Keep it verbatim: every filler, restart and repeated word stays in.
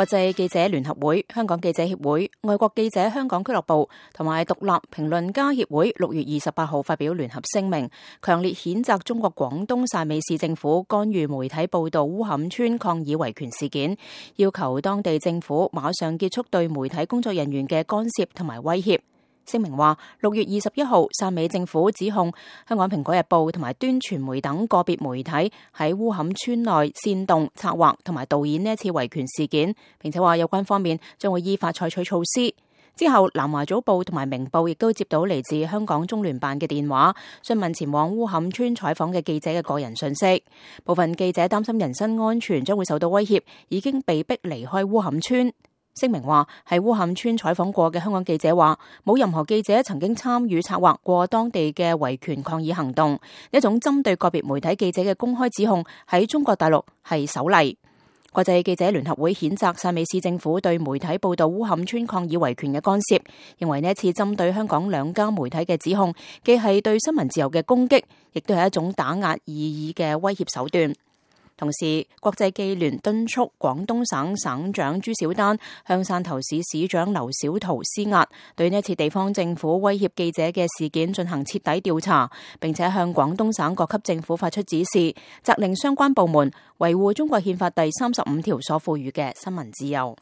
國際記者聯合會、香港記者協會、外國記者香港俱樂部同埋獨立評論家協會六月二十八號發表聯合聲明，強烈譴責中國廣東汕尾市政府干預媒體報道烏坎村抗議維權事件，要求當地政府馬上結束對媒體工作人員嘅干涉同埋威脅。聲明話，六月二十一號，汕尾政府指控香港蘋果日報同埋端傳媒等個別媒體喺烏坎村內煽動、策劃同埋導演呢一次維權事件，並且話有關方面將會依法採取措施。之後，南華早報同埋明報亦都接到嚟自香港中聯辦嘅電話，詢問前往烏坎村採訪嘅記者嘅個人信息。部分記者擔心人身安全將會受到威脅，已經被逼離開烏坎村。聲明話，喺烏坎村採訪過嘅香港記者話，冇任何記者曾經參與策劃過當地嘅維權抗議行動。一種針對個別媒體記者嘅公開指控喺中國大陸係首例。國際記者聯合會譴責汕尾市政府對媒體報道烏坎村抗議維權嘅干涉，認為呢一次針對香港兩家媒體嘅指控，既係對新聞自由嘅攻擊，亦都係一種打壓異議嘅威脅手段。同時，國際記聯敦促廣東省省長朱小丹向汕頭市市長劉小圖施壓，對呢一次地方政府威脅記者嘅事件進行徹底調查，並且向廣東省各級政府發出指示，責令相關部門維護中國憲法第三十五條所賦予嘅新聞自由。